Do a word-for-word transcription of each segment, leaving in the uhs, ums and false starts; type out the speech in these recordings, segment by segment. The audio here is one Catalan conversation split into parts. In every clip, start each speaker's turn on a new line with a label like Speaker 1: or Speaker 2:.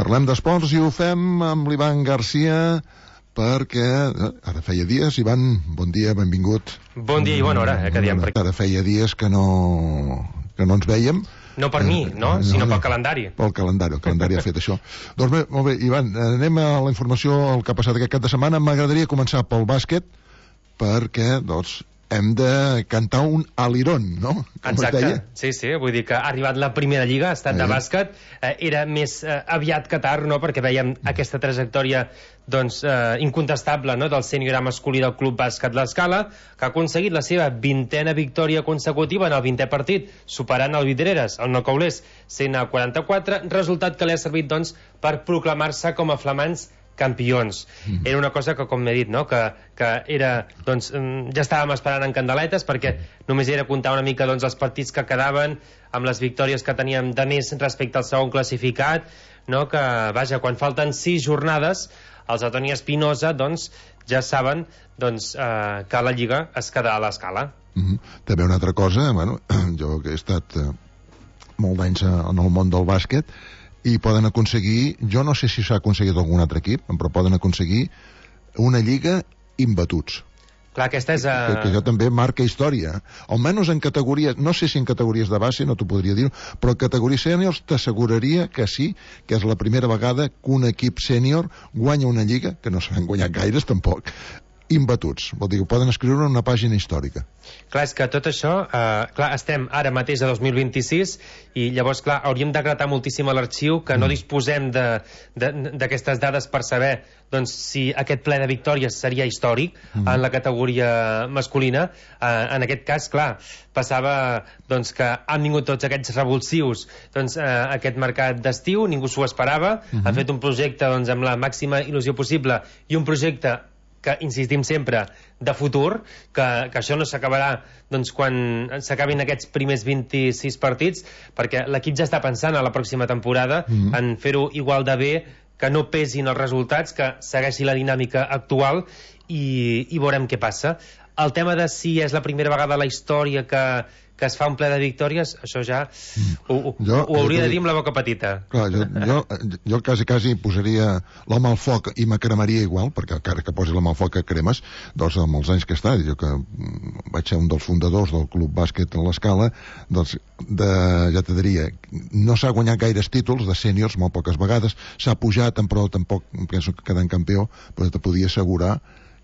Speaker 1: Parlem d'esports i ho fem amb l'Ivan Garcia, perquè ara feia dies, Ivan, bon dia, benvingut.
Speaker 2: Bon dia i bona hora, eh, que diem.
Speaker 1: Ara feia dies que no, que no ens vèiem.
Speaker 2: No per mi, no? Sinó pel calendari.
Speaker 1: Pel calendari, el calendari ha fet això. Doncs bé, molt bé, Ivan, anem a la informació el que ha passat aquest cap de setmana. M'agradaria començar pel bàsquet, perquè, doncs, hem de cantar un alirón, no? Com
Speaker 2: exacte, sí, sí, vull dir que ha arribat la primera lliga, ha estat eh. de bàsquet, eh, era més eh, aviat que tard, no?, perquè veiem aquesta trajectòria, doncs, eh, incontestable, no?, del sènior A masculí del Club Bàsquet L'Escala, que ha aconseguit la seva vintena victòria consecutiva en el vintè partit, superant el Vidreres, el Nocaulés, cent a quaranta-quatre, resultat que li ha servit, doncs, per proclamar-se com a flamants campions. Mm. Era una cosa que, com m'he dit, no? que, que era, doncs, ja estàvem esperant en candeletes, perquè només era comptar una mica, doncs, els partits que quedaven amb les victòries que teníem de més respecte al segon classificat, no? Que, vaja, quan falten sis jornades, els de Toni Espinosa, doncs, ja saben, doncs, eh, que la Lliga es queda a l'Escala.
Speaker 1: Mm-hmm. També una altra cosa, bueno, jo que he estat eh, molt d'anys en el món del bàsquet, i poden aconseguir, jo no sé si s'ha aconseguit algun altre equip, però poden aconseguir una lliga imbatuts.
Speaker 2: Clar, aquesta és... A...
Speaker 1: Que, que jo també marca història. Almenys en categories, no sé si en categories de base, no t'ho podria dir, però en categories sèniors t'asseguraria que sí, que és la primera vegada que un equip sènior guanya una lliga, que no s'han guanyat gaires tampoc, imbatuts. Vol dir que poden escriure una pàgina històrica.
Speaker 2: Clar, és que tot això, eh, clar, estem ara mateix a dos mil vint-i-sis i llavors, clar, hauríem de gratar moltíssim a l'arxiu, que mm. no disposem d'aquestes dades per saber, doncs, si aquest ple de victòries seria històric mm. en la categoria masculina. Eh, en aquest cas, clar, passava, doncs, que han vingut tots aquests revulsius, doncs, eh, aquest mercat d'estiu, ningú s'ho esperava, mm-hmm. han fet un projecte, doncs, amb la màxima il·lusió possible i un projecte que insistim sempre, de futur, que, que això no s'acabarà, doncs, quan s'acabin aquests primers vint-i-sis partits, perquè l'equip ja està pensant a la pròxima temporada mm-hmm. en fer-ho igual de bé, que no pesin els resultats, que segueixi la dinàmica actual i, i veurem què passa. El tema de si és la primera vegada a la història que, que es fa un ple de victòries, això ja ho, ho, jo, ho hauria jo, de dir amb la boca petita. Clar,
Speaker 1: jo, jo, jo quasi, quasi posaria l'home al foc i me cremaria igual, perquè encara que posi l'home al foc que cremes, doncs amb els anys que està, jo que vaig ser un dels fundadors del Club Bàsquet a l'Escala, doncs de, ja te diria, no s'ha guanyat gaires títols de sèniors, molt poques vegades, s'ha pujat, però tampoc penso que quedant campió, però te podia assegurar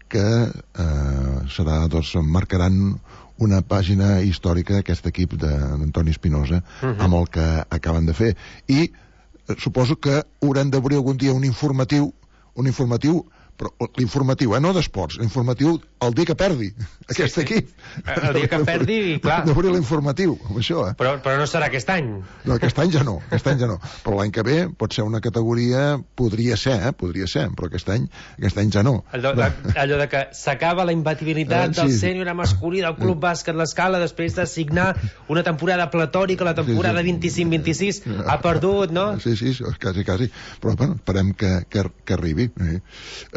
Speaker 1: que eh, serà, doncs, marcaran una pàgina històrica d'aquest equip d'Antoni Espinosa uh-huh. amb el que acaben de fer. I eh, suposo que hauran d'obrir algun dia un informatiu, un informatiu, però l'informatiu, eh, no d'esports, l'informatiu el dia que perdi aquest
Speaker 2: sí, sí.
Speaker 1: equip.
Speaker 2: El dia que perdi, clar.
Speaker 1: D'obrir l'informatiu, amb això, eh.
Speaker 2: Però, però no serà aquest any.
Speaker 1: No, aquest any ja no, aquest any ja no. Però l'any que ve pot ser una categoria, podria ser, eh, podria ser, però aquest any, aquest any ja no.
Speaker 2: Allò de, allò de que s'acaba la imbatibilitat eh, sí, del sènior masculí del Club Bàsquet L'Escala després de signar una temporada platòrica, la temporada sí, sí. vint-i-cinc vint-i-sis, ha perdut, no?
Speaker 1: Sí, sí, quasi, quasi. Però, bueno, esperem que, que, que arribi. Eh.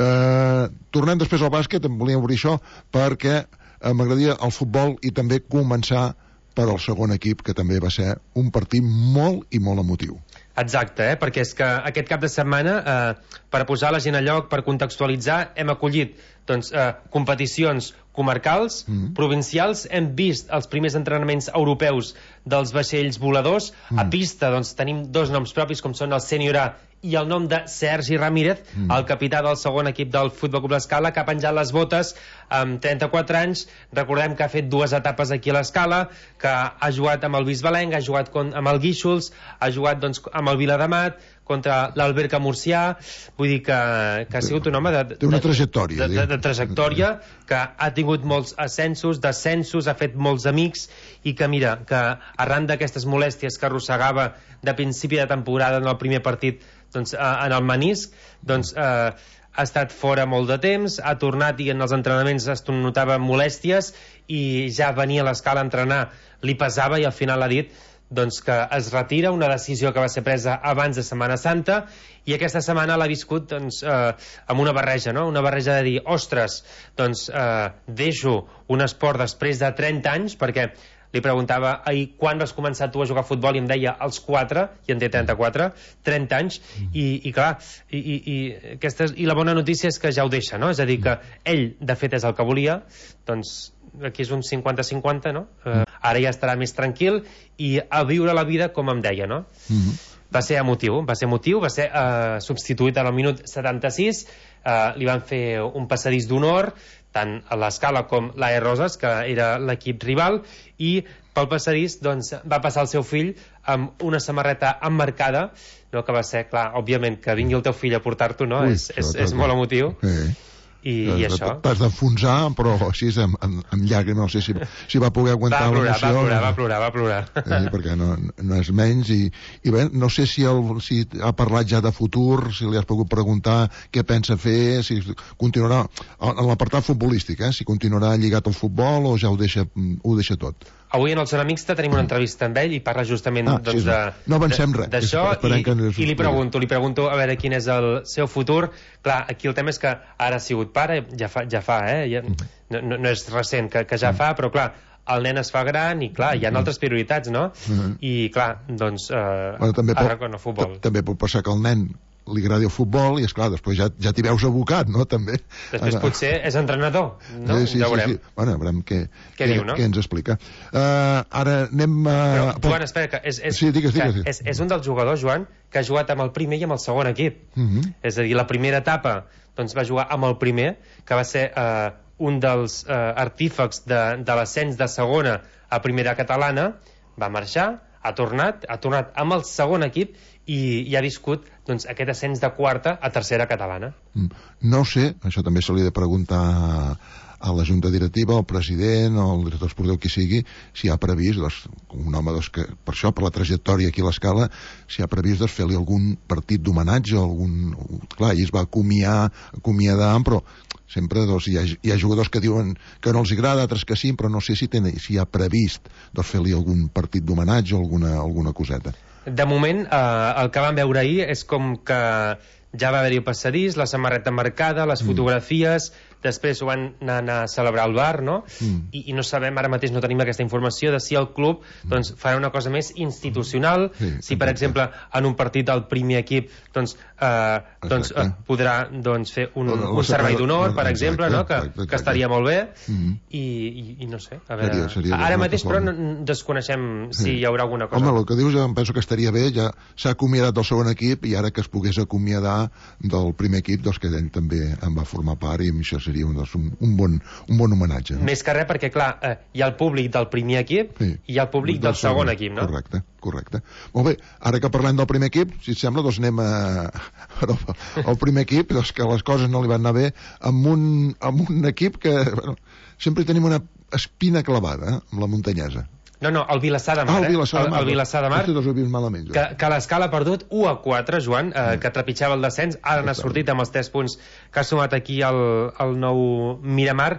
Speaker 1: Uh, tornem després al bàsquet, em volia obrir això perquè uh, m'agradaria el futbol i també començar per al segon equip, que també va ser un partit molt i molt emotiu.
Speaker 2: Exacte, eh? Perquè és que aquest cap de setmana, eh, per posar la gent a lloc, per contextualitzar, hem acollit doncs, eh, competicions comarcals, mm. provincials, hem vist els primers entrenaments europeus dels vaixells voladors, mm. a pista doncs, tenim dos noms propis com són el sènior A i el nom de Sergi Ramírez, mm. el capità del segon equip del Futbol Club L'Escala, que ha penjat les botes amb trenta-quatre anys. Recordem que ha fet dues etapes aquí a l'Escala, que ha jugat amb el Bisbalenc, ha jugat con, amb el Guíxols, ha jugat doncs, amb el Viladamat, contra l'Alberca Murcià. Vull dir que, que ha sigut un home de, de,
Speaker 1: Té una trajectòria,
Speaker 2: de, de, de trajectòria, que ha tingut molts ascensos, descensos, ha fet molts amics, i que mira, que arran d'aquestes molèsties que arrossegava de principi de temporada en el primer partit, doncs, en el menisc, doncs, eh, ha estat fora molt de temps, ha tornat i en els entrenaments es notava molèsties i ja venia a l'Escala a entrenar, li pesava, i al final ha dit doncs, que es retira, una decisió que va ser presa abans de Setmana Santa, i aquesta setmana l'ha viscut doncs, eh, amb una barreja, no? Una barreja de dir, ostres, doncs eh, deixo un esport després de trenta anys, perquè li preguntava ahir quan vas començar tu a jugar a futbol i em deia als quatre, i en té trenta-quatre, trenta anys, i, i clar, i, i, i, aquestes, i la bona notícia és que ja ho deixa, no? És a dir, que ell, de fet, és el que volia, doncs aquí és un cinquanta cinquanta, no? Eh, ara ja estarà més tranquil i a viure la vida com em deia, no? Mm-hmm. Va ser emotiu, va ser emotiu, va ser eh, substituït al minut setanta-sis, eh, li van fer un passadís d'honor, tant a l'Escala com l'A E Roses, que era l'equip rival, i pel passadís doncs, va passar el seu fill amb una samarreta emmarcada, no, que va ser, clar, òbviament, que vingui el teu fill a portar-t'ho, no? Ui, és, és, és molt emotiu. Sí. I, i això.
Speaker 1: T'has d'enfonsar, però així amb, amb, amb llàgrimes, no sé si, si va poder aguantar l'emoció.
Speaker 2: Va plorar, va plorar, va plorar.
Speaker 1: Eh, perquè no, no és menys. I, i bé, no sé si, el, si ha parlat ja de futur, si li has pogut preguntar què pensa fer, si continuarà, en l'apartat futbolístic, eh, si continuarà lligat al futbol o ja ho deixa, ho deixa tot.
Speaker 2: Avui en el Zona Mixta tenim una entrevista amb ell i parla justament
Speaker 1: ah,
Speaker 2: doncs,
Speaker 1: sí, no.
Speaker 2: de,
Speaker 1: no avancem res
Speaker 2: d'això i, i li pregunto, li pregunto a veure quin és el seu futur. Clar, aquí el tema és que ara ha sigut pare, ja fa, ja fa eh? Ja, no, no, no és recent que, que ja fa, però clar, el nen es fa gran i clar, hi ha altres prioritats, no? Uh-huh. I clar, doncs eh,
Speaker 1: bueno, també
Speaker 2: ara
Speaker 1: pot,
Speaker 2: con el futbol.
Speaker 1: També pot passar que el nen li agradi el futbol i, esclar, després ja, ja t'hi veus abocat, no?, també.
Speaker 2: Després ara, potser és entrenador, no?
Speaker 1: Sí, sí,
Speaker 2: ja
Speaker 1: sí, sí. Bueno, veurem què,
Speaker 2: què, diu, no?
Speaker 1: què ens explica. Uh, ara anem a...
Speaker 2: Però, Joan, espera, que és, és,
Speaker 1: sí, digues, digues.
Speaker 2: Que és, és un dels jugadors, Joan, que ha jugat amb el primer i amb el segon equip. Uh-huh. És a dir, la primera etapa doncs, va jugar amb el primer, que va ser uh, un dels uh, artífecs de, de l'ascens de segona a primera catalana, va marxar, ha tornat, ha tornat amb el segon equip i, i ha viscut doncs, aquest ascens de quarta a tercera catalana.
Speaker 1: No sé, això també se li ha de preguntar a la junta directiva, al president o al director esportiu, qui sigui, si ha previst, doncs, un home doncs, que per això, per la trajectòria aquí a l'Escala, si ha previst doncs, fer-li algun partit d'homenatge, algun... Clar, ell es va acomiar, acomiadar, però sempre doncs, hi, ha, hi ha jugadors que diuen que no els agrada, altres que sí, però no sé si, ten, si ha previst doncs, fer-li algun partit d'homenatge o alguna, alguna coseta.
Speaker 2: De moment, eh, el que vam veure ahir és com que ja va haver-hi el passadís, la samarreta marcada, les mm. fotografies, després ho van anar a celebrar al bar, no? Mm. I, I no sabem, ara mateix no tenim aquesta informació de si el club doncs, farà una cosa més institucional, sí, si per exemple en un partit del primer equip doncs, eh, doncs eh, podrà doncs, fer un, un servei d'honor, per exemple, no? que, que estaria molt bé, mm. i, i, i no sé, a veure, seria, seria ara mateix però no, desconeixem si sí. hi haurà alguna cosa.
Speaker 1: Home, el que dius, em penso que estaria bé, ja s'ha acomiadat del segon equip i ara que es pogués acomiadar del primer equip, doncs que ell també en va formar part i això seria un, doncs, un, un, bon, un bon homenatge. No?
Speaker 2: Més que res perquè, clar, eh, hi ha el públic del primer equip sí. i hi ha el públic del, del segon, segon equip, no?
Speaker 1: Correcte, correcte. Molt bé, ara que parlem del primer equip, si et sembla, doncs anem a... al primer equip, doncs que les coses no li van anar bé, amb un, amb un equip que bueno, sempre tenim una espina clavada, eh, amb la muntanyesa.
Speaker 2: No, no, el Vilassar de Mar,
Speaker 1: ah, el Vilassar de Mar,
Speaker 2: eh? El, el Vilassar de Mar,
Speaker 1: malament,
Speaker 2: que, que l'Escala ha perdut u a quatre, Joan, eh, mm. que trepitjava el descens, ara n'ha sortit amb els tres punts que ha sumat aquí el, el nou Miramar,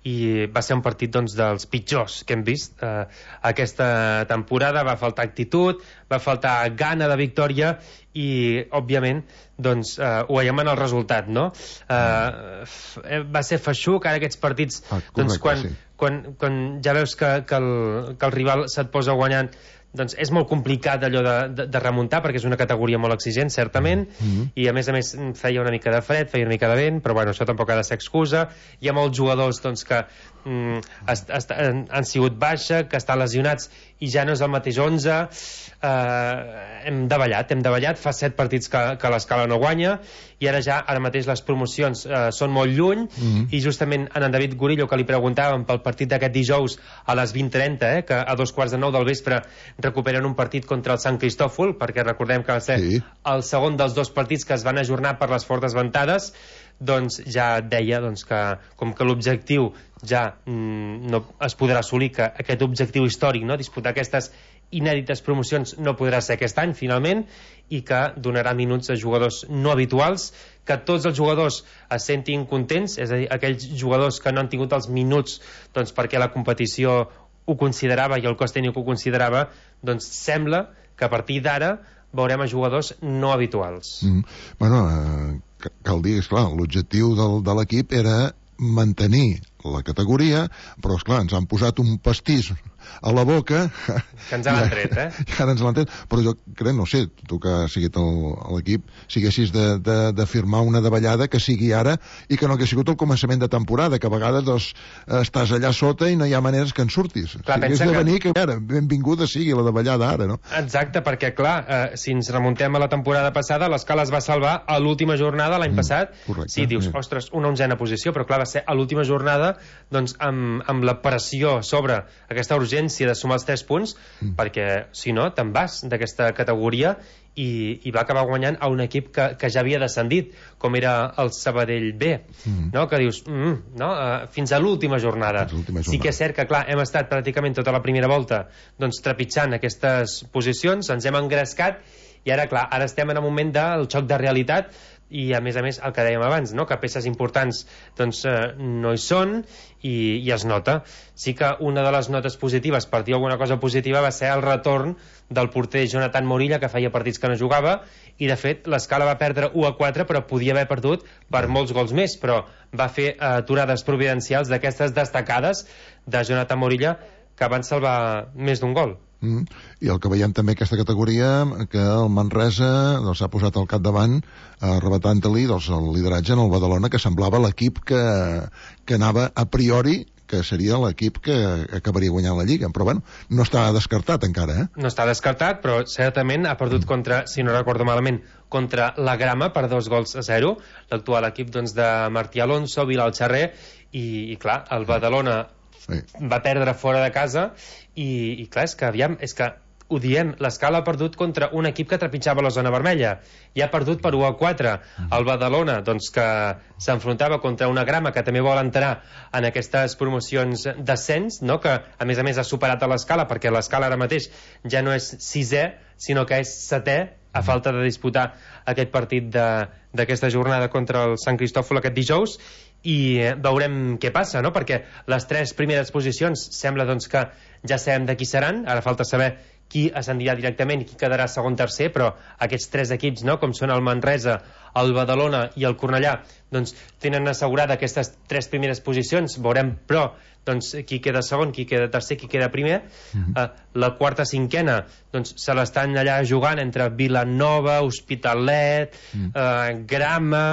Speaker 2: i va ser un partit doncs, dels pitjors que hem vist eh, aquesta temporada. Va faltar actitud, va faltar gana de victòria i, òbviament, doncs, eh, ho veiem en el resultat, no? Eh, va ser feixuc, ara aquests partits, ah, correcte, doncs, quan, sí. quan, quan ja veus que, que, el, que el rival se't posa guanyant, doncs és molt complicat allò de, de, de remuntar perquè és una categoria molt exigent, certament, mm-hmm. i a més a més feia una mica de fred, feia una mica de vent, però bueno, això tampoc ha de ser excusa. Hi ha molts jugadors doncs, que mm, est, est, han, han sigut baixa, que estan lesionats i ja no és el mateix onze. Eh, hem davallat, hem davallat, fa set partits que, que l'Escala no guanya i ara ja, ara mateix les promocions eh, són molt lluny, mm-hmm. i justament en en David Gorillo, que li preguntàvem pel partit d'aquest dijous a les vint trenta, eh, que a dos quarts de nou del vespre recuperen un partit contra el Sant Cristòfol, perquè recordem que va ser sí. el segon dels dos partits que es van ajornar per les fortes ventades, doncs ja deia doncs, que com que l'objectiu ja mm, no es podrà assolir, que aquest objectiu històric, no, disputar aquestes inèdites promocions, no podrà ser aquest any finalment, i que donarà minuts a jugadors no habituals, que tots els jugadors es sentin contents, és a dir, aquells jugadors que no han tingut els minuts doncs, perquè la competició ho considerava i el cos tècnic ho considerava, doncs sembla que a partir d'ara veurem a jugadors no habituals.
Speaker 1: Mm. Bueno, eh, cal dir, esclar, l'objectiu del, de l'equip era mantenir la categoria, però esclar, ens han posat un pastís a la boca
Speaker 2: que ens han tret, eh?
Speaker 1: I ara ens l'han tret, però jo crec, no sé, tu que has seguit a l'equip, si haguessis de, de, de firmar una davallada que sigui ara i que no hagués sigut el començament de temporada, que a vegades doncs, estàs allà sota i no hi ha maneres que en surtis.
Speaker 2: Clar,
Speaker 1: si hagués de venir, que... que ara, benvinguda sigui la davallada ara, no?
Speaker 2: Exacte, perquè clar, eh, si ens remuntem a la temporada passada, l'Escala es va salvar a l'última jornada l'any mm, passat.
Speaker 1: Correcte,
Speaker 2: sí, dius,
Speaker 1: sí.
Speaker 2: Ostres, una onzena posició, però clar, va ser a l'última jornada doncs amb, amb la pressió sobre aquesta urgència de sumar els tres punts, mm. perquè si no, te'n vas d'aquesta categoria i, i va acabar guanyant a un equip que, que ja havia descendit, com era el Sabadell B, mm. no? Que dius, mm, no? Uh, fins a l'última jornada.
Speaker 1: jornada.
Speaker 2: Sí que és cert que, clar, hem estat pràcticament tota la primera volta doncs, trepitjant aquestes posicions, ens hem engrescat i ara, clar, ara estem en un moment del xoc de realitat i, a més a més, el que dèiem abans, no? Que peces importants doncs, eh, no hi són i, i es nota. Sí que una de les notes positives, per dir alguna cosa positiva, va ser el retorn del porter Jonathan Morilla, que feia partits que no jugava, i de fet l'Escala va perdre u a quatre, però podia haver perdut per molts gols més, però va fer eh, aturades providencials d'aquestes destacades de Jonathan Morilla que van salvar més d'un gol.
Speaker 1: Mm. I el que veiem també aquesta categoria, que el Manresa s'ha doncs, posat al capdavant arrebatant-li doncs, el lideratge en el Badalona, que semblava l'equip que, que anava a priori, que seria l'equip que acabaria guanyant la Lliga, però bueno, no està descartat encara, eh?
Speaker 2: No està descartat, però certament ha perdut mm. contra, si no recordo malament, contra la Grama per dos gols a zero, l'actual equip doncs, de Martí Alonso, Bilal Xarrer, i, i clar, el Badalona sí. va perdre fora de casa i, i clar, és que aviam, és que ho diem, l'Escala ha perdut contra un equip que trepitjava la zona vermella i ha perdut per u a quatre. El Badalona, doncs, que s'enfrontava contra una Grama que també vol entrar en aquestes promocions d'ascens, no? Que a més a més ha superat a l'Escala, perquè l'Escala ara mateix ja no és sisè, sinó que és setè, a falta de disputar aquest partit d'aquesta jornada contra el Sant Cristòfol aquest dijous, i veurem què passa, no? Perquè les tres primeres posicions sembla doncs, que ja sabem de qui seran, ara falta saber qui ascendirà directament i qui quedarà segon tercer, però aquests tres equips, no? Com són el Manresa, el Badalona i el Cornellà, doncs tenen assegurada aquestes tres primeres posicions. Veurem, però, doncs, qui queda segon, qui queda tercer, qui queda primer. Mm-hmm. uh, la quarta, cinquena, doncs se l'estan allà jugant entre Vilanova, Hospitalet, mm. uh, Grama...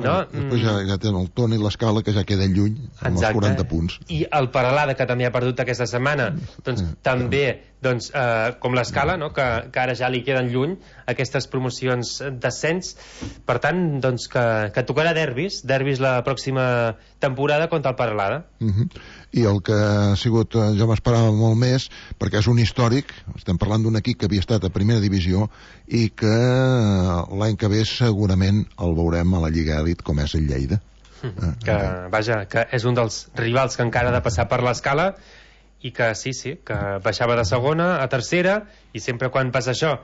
Speaker 2: No?
Speaker 1: Després ja, ja tenen el Toni i l'Escala, que ja queden lluny amb Exacte. Els quaranta punts.
Speaker 2: I el Peralada, que també ha perdut aquesta setmana, doncs sí, també doncs, eh, com l'Escala, no? que, que ara ja li queden lluny aquestes promocions d'ascens. Per tant, doncs, que, que tocarà derbis derbis la pròxima temporada contra el Peralada.
Speaker 1: Uh-huh. I el que ha sigut, jo m'esperava molt més, perquè és un històric, estem parlant d'un equip que havia estat a primera divisió i que l'any que ve segurament el veurem a la Lliga Elit, com és el Lleida.
Speaker 2: Que, vaja, que és un dels rivals que encara ha de passar per l'Escala i que sí, sí, que baixava de segona a tercera, i sempre quan passa això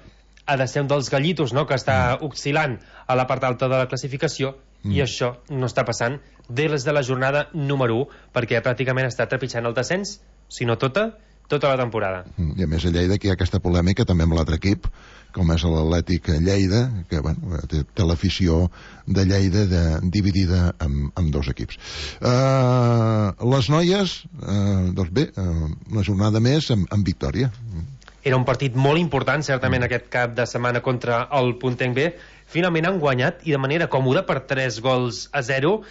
Speaker 2: ha de ser un dels gallitos, no?, que està oscil·lant a la part alta de la classificació, mm. i això no està passant des de la jornada número u, perquè pràcticament està trepitjant el descens, si no tota, tota la temporada.
Speaker 1: I a més a Lleida que hi ha aquesta polèmica també amb l'altre equip, com és l'Atlètic Lleida, que bueno, té, té l'afició de Lleida de, dividida en, en dos equips. Uh, les noies, uh, doncs bé, uh, una jornada més amb, amb victòria.
Speaker 2: Era un partit molt important, certament, mm. aquest cap de setmana contra el Puntenc B. Finalment han guanyat, i de manera còmoda, per tres gols a zero,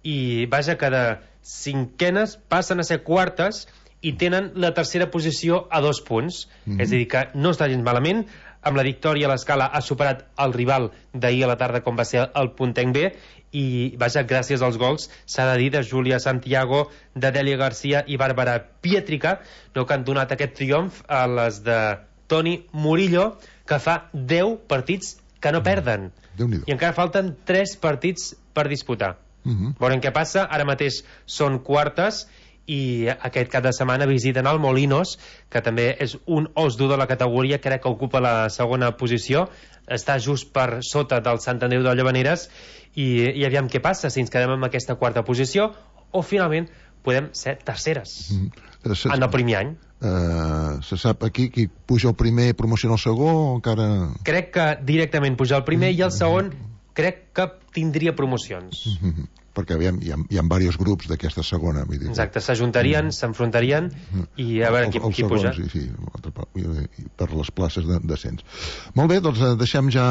Speaker 2: i vaja, que de cinquenes passen a ser quartes i tenen la tercera posició a dos punts. Mm. És a dir, que no està gens malament. Amb la victòria l'Escala ha superat el rival d'ahir a la tarda, com va ser el Puntenc B, i vaja, gràcies als gols, s'ha de dir, de Júlia Santiago, de Dèlia Garcia i Bàrbara Pietrica, no, que han donat aquest triomf a les de Toni Murillo, que fa deu partits que no perden, i encara falten tres partits per disputar. Uh-huh. Veurem què passa. Ara mateix són quartes i aquest cap de setmana visiten el Molinos, que també és un os dur de la categoria, crec que ocupa la segona posició, està just per sota del Sant Andreu de Llavaneres, i, i aviam què passa, si ens quedem en aquesta quarta posició o finalment podem ser terceres mm. se, en el primer any.
Speaker 1: Uh, se sap aquí qui puja el primer i promociona el segon o encara...
Speaker 2: Crec que directament puja el primer mm. i el segon crec que tindria promocions.
Speaker 1: Mm-hmm. perquè aviam, hi ha, hi ha diversos grups d'aquesta segona. Vull dir,
Speaker 2: exacte, s'ajuntarien, mm. s'enfrontarien mm. i a veure el, qui, el qui segon, puja.
Speaker 1: Sí, sí, per les places d'ascens. Molt bé, doncs deixem ja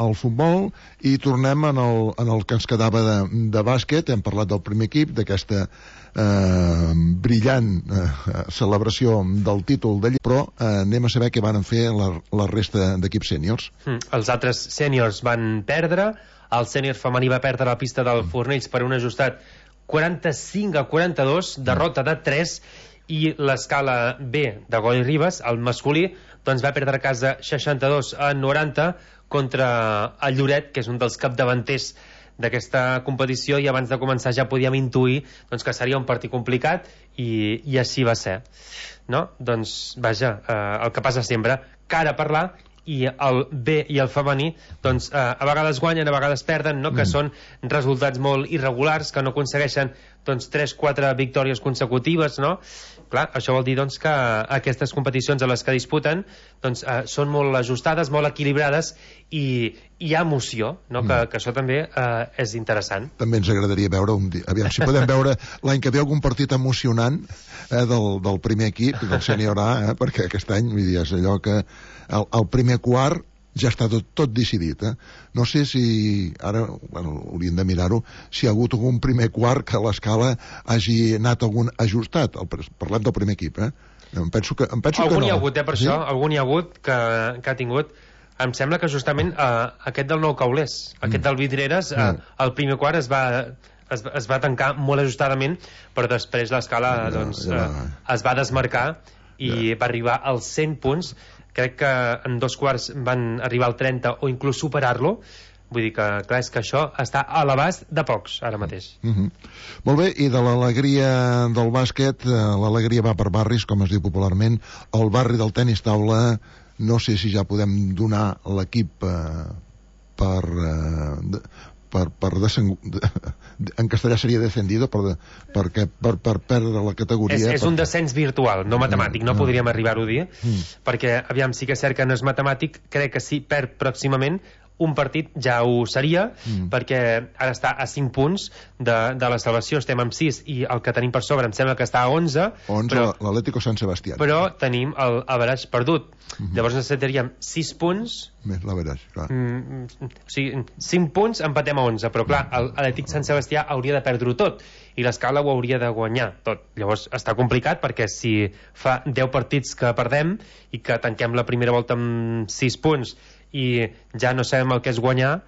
Speaker 1: el futbol i tornem en el, en el que ens quedava de, de bàsquet. Hem parlat del primer equip, d'aquesta eh, brillant eh, celebració del títol de lliga, però eh, anem a saber què van fer la, la resta d'equips sèniors.
Speaker 2: Mm. Els altres sèniors van perdre. El sènior femení va perdre la pista del Fornells per un ajustat quaranta-cinc a quaranta-dos, derrota de tres, i l'escala B de Gol i Ribes, el masculí, doncs va perdre a casa seixanta-dos a noranta contra el Lloret, que és un dels capdavanters d'aquesta competició, i abans de començar ja podíem intuir doncs, que seria un partit complicat, i, i així va ser. No? Doncs, vaja, eh, el que passa sempre, cara a parlar, i el B i el femení doncs eh, a vegades guanyen, a vegades perden, no? Que mm. són resultats molt irregulars, que no aconsegueixen doncs tres quatre victòries consecutives, no? Clar, això vol dir doncs que aquestes competicions a les que disputen doncs eh, són molt ajustades, molt equilibrades, i hi ha emoció, no? Mm. Que, que això també eh, és interessant.
Speaker 1: També ens agradaria veure un dia, aviam si podem veure l'any que ve algun partit emocionant eh, del, del primer equip, del sènior A, eh, perquè aquest any, vull dir, és allò que el, el primer quart ja està tot, tot decidit, eh? No sé si ara, bueno, hauríem de mirar-ho, si hi ha hagut algun primer quart que l'escala hagi anat algun ajustat. El, parlem del primer equip, eh? Em penso que, em penso
Speaker 2: algun
Speaker 1: que no.
Speaker 2: Hi ha hagut, eh, per sí? això, algun hi ha hagut que, que ha tingut. Em sembla que justament eh, aquest del Nou Caulers, aquest mm. del Vidreres, eh, mm. el primer quart es va, es, es va tancar molt ajustadament, però després l'escala ja, doncs, ja. Eh, es va desmarcar i ja. va arribar als cent punts. Crec que en dos quarts van arribar al trenta o inclús superar-lo. Vull dir que, clar, és que això està a l'abast de pocs, ara mateix.
Speaker 1: Mm-hmm. Molt bé, i de l'alegria del bàsquet, eh, l'alegria va per barris, com es diu popularment. El barri del tenis taula, no sé si ja podem donar l'equip eh, per... Eh, per, per desen... en castellà seria descendido per, per, per, per perdre la categoria.
Speaker 2: És, és
Speaker 1: per...
Speaker 2: un descens virtual, no matemàtic, no, no. podríem arribar-ho a dir, mm. perquè, aviam, sí que és cert que no és matemàtic, crec que sí, perd pròximament un partit ja ho seria, mm. perquè ara està a cinc punts de, de la salvació, estem amb sis, i el que tenim per sobre em sembla que està a onze.
Speaker 1: onze, l'Atlético Sant Sebastià.
Speaker 2: Però tenim el average perdut. Mm-hmm. Llavors necessitaríem sis punts...
Speaker 1: Més l'average, clar.
Speaker 2: Mm, o sigui, cinc punts, empatem a onze, però clar, l'Atlètic Sant Sebastià hauria de perdre-ho tot, i l'escala ho hauria de guanyar tot. Llavors està complicat, perquè si fa deu partits que perdem, i que tanquem la primera volta amb sis punts, i ja no sabem el que és guanyar,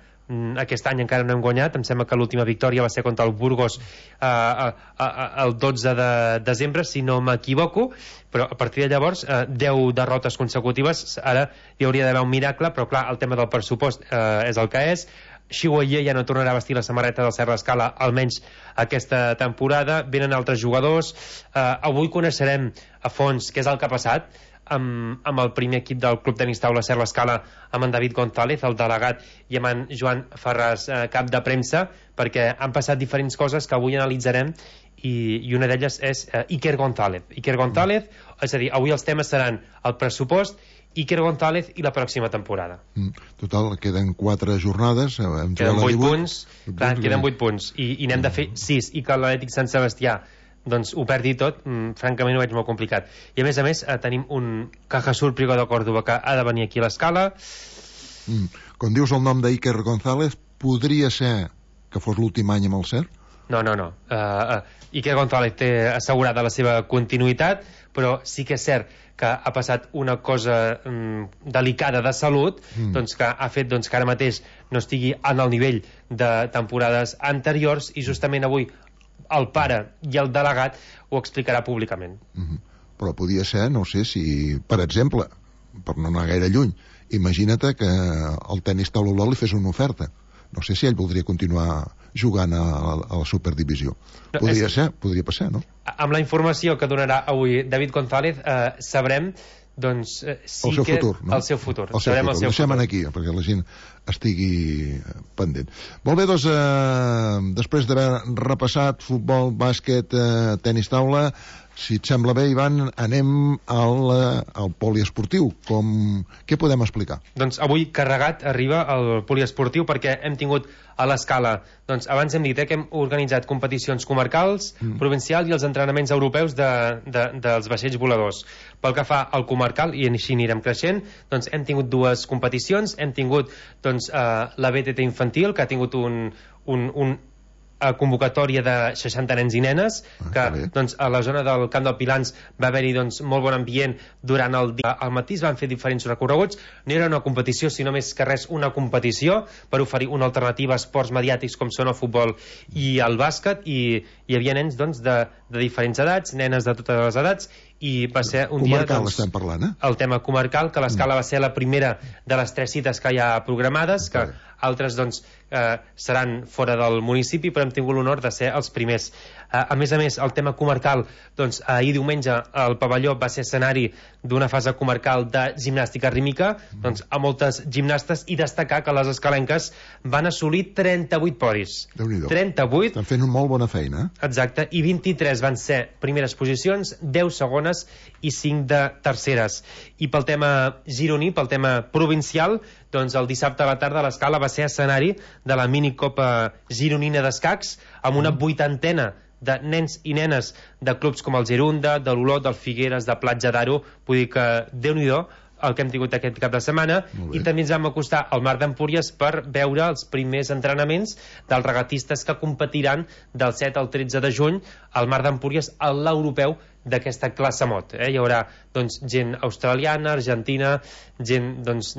Speaker 2: aquest any encara no hem guanyat, em sembla que l'última victòria va ser contra el Burgos eh, eh, el dotze de desembre, si no m'equivoco, però a partir de llavors eh, deu derrotes consecutives. Ara hi hauria d'haver un miracle, però clar, el tema del pressupost eh, és el que és. Xiuayer ja no tornarà a vestir la samarreta del Serra Escala, almenys aquesta temporada. Venen altres jugadors. eh, avui coneixerem a fons què és el que ha passat amb, amb el primer equip del Club Tenis Taula Serra Escala, amb en David González, el delegat, i amb en Joan Ferraz, eh, cap de premsa, perquè han passat diferents coses que avui analitzarem, i, i una d'elles és eh, Iker González. Iker González, és a dir, avui els temes seran el pressupost, Iker González i la pròxima temporada.
Speaker 1: Mm. Total, queden quatre jornades.
Speaker 2: Queden vuit punts, clar, queden vuit punts, i, i n'hem de fer sis, i que l'Atlètic Sant Sebastià doncs ho perdi tot, mm, francament ho veig molt complicat. I a més a més eh, tenim un Cajasur Prigo de Còrdoba que ha de venir aquí a l'escala.
Speaker 1: Mm. Quan dius el nom d'Iker González, podria ser que fos l'últim any amb el C E R?
Speaker 2: No, no, no. Uh, uh, Iker González té assegurada la seva continuïtat, però sí que és cert que ha passat una cosa um, delicada de salut, mm. doncs que ha fet doncs, que ara mateix no estigui en el nivell de temporades anteriors, i justament avui el pare i el delegat ho explicarà públicament.
Speaker 1: Mm-hmm. Però podia ser, no sé si, per exemple, per no anar gaire lluny, imagina't que el tenis taula Olot li fes una oferta. No sé si ell voldria continuar jugant a la, a la Superdivisió. No, podria és... ser, podria passar, no?
Speaker 2: Amb la informació que donarà avui David González, eh, sabrem doncs, eh, sí
Speaker 1: el seu
Speaker 2: que
Speaker 1: futur, no?
Speaker 2: el seu futur.
Speaker 1: El seu
Speaker 2: Sabrem
Speaker 1: futur.
Speaker 2: El seu
Speaker 1: Deixem
Speaker 2: futur.
Speaker 1: aquí, perquè la gent estigui pendent. Molt bé, doncs, eh, després d'haver repassat futbol, bàsquet, eh, tenis taula, si et sembla bé, Ivan, anem al, al poliesportiu. Com... Què podem explicar?
Speaker 2: Doncs avui carregat arriba el poliesportiu perquè hem tingut a l'escala, doncs abans hem dit eh, que hem organitzat competicions comarcals, mm. provincials i els entrenaments europeus de, de, dels vaixells voladors. Pel que fa al comarcal, i així anirem creixent, doncs hem tingut dues competicions, hem tingut doncs, eh, la B T T infantil, que ha tingut un, un, un a convocatòria de seixanta nens i nenes, ah, que doncs, a la zona del Camp del Pilans va haver-hi doncs, molt bon ambient durant el dia. Al matí es van fer diferents recorreguts, no era una competició, sinó més que res una competició per oferir una alternativa a esports mediàtics com són el futbol i el bàsquet, i hi havia nens doncs, de, de diferents edats, nenes de totes les edats, i va ser un
Speaker 1: comarcal,
Speaker 2: dia... Doncs,
Speaker 1: estem parlant, eh?
Speaker 2: El tema comarcal, que l'escala mm. va ser la primera de les tres cites que hi ha programades, que okay. altres doncs, eh, seran fora del municipi, però hem tingut l'honor de ser els primers. Eh, a més a més, el tema comarcal, doncs, ahir diumenge el pavelló va ser escenari d'una fase comarcal de gimnàstica rítmica, mm. doncs, a moltes gimnastes, i destacar que les escalenques van assolir trenta-vuit podis. trenta-vuit.
Speaker 1: Estan fent una molt bona feina.
Speaker 2: Exacte, i vint-i-tres van ser primeres posicions, deu segones i cinc de terceres. I pel tema gironí, pel tema provincial, doncs el dissabte a la tarda l'escala va ser escenari de la minicopa gironina d'escacs amb una vuitantena de nens i nenes de clubs com el Gerunda, de l'Olot, del Figueres, de Platja d'Aro. Vull dir que Déu-n'hi-do el que hem tingut aquest cap de setmana, i també ens vam acostar al Mar d'Empúries per veure els primers entrenaments dels regatistes que competiran del set al tretze de juny al Mar d'Empúries a l'europeu d'aquesta classe mot. Eh? Hi haurà doncs, gent australiana, argentina, gent doncs,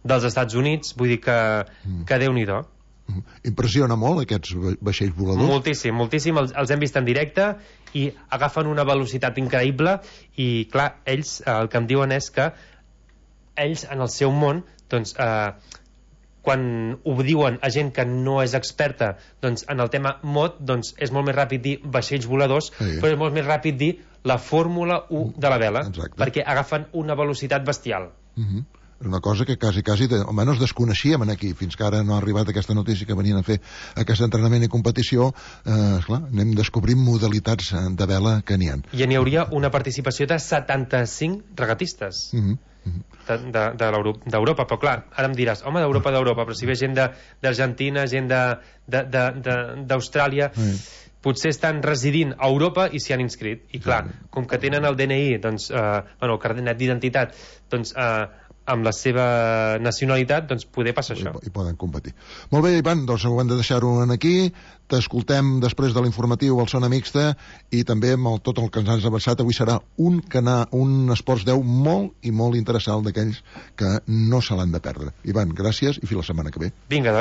Speaker 2: dels Estats Units, vull dir que, que Déu-n'hi-do.
Speaker 1: Impressiona molt aquests vaixells voladors?
Speaker 2: Moltíssim, moltíssim, els, els hem vist en directe i agafen una velocitat increïble, i clar, ells el que em diuen és que ells en el seu món doncs, eh, quan ho diuen a gent que no és experta doncs, en el tema mot, doncs, és molt més ràpid dir vaixells voladors, sí. però és molt més ràpid dir la Fórmula u de la vela. Exacte. Perquè agafen una velocitat bestial.
Speaker 1: Uh-huh. És una cosa que quasi, quasi, almenys desconeixíem aquí, fins que ara no ha arribat aquesta notícia que venien a fer aquest entrenament i competició. Eh, esclar, anem descobrint modalitats de vela que n'hi ha.
Speaker 2: I n'hi hauria una participació de setanta-cinc regatistes. Uh-huh. Uh-huh. d'Europa, però clar, ara em diràs, home, d'Europa, d'Europa, però si ve gent d'Argentina, gent d'Austràlia, uh-huh. potser estan residint a Europa i s'hi han inscrit, i clar, com que tenen el D N I, doncs, eh, bueno, el carnet d'identitat, doncs, eh, amb la seva nacionalitat, doncs poder passar això.
Speaker 1: I poden competir. Molt bé, Ivan, doncs ho hem de deixar-ho aquí. T'escoltem després de l'informatiu al Zona Mixta, i també amb el, tot el que ens has avançat. Avui serà un canal, un Esports deu molt i molt interessant, d'aquells que no se l'han de perdre. Ivan, gràcies, i fins la setmana que ve.
Speaker 2: Vinga, doncs.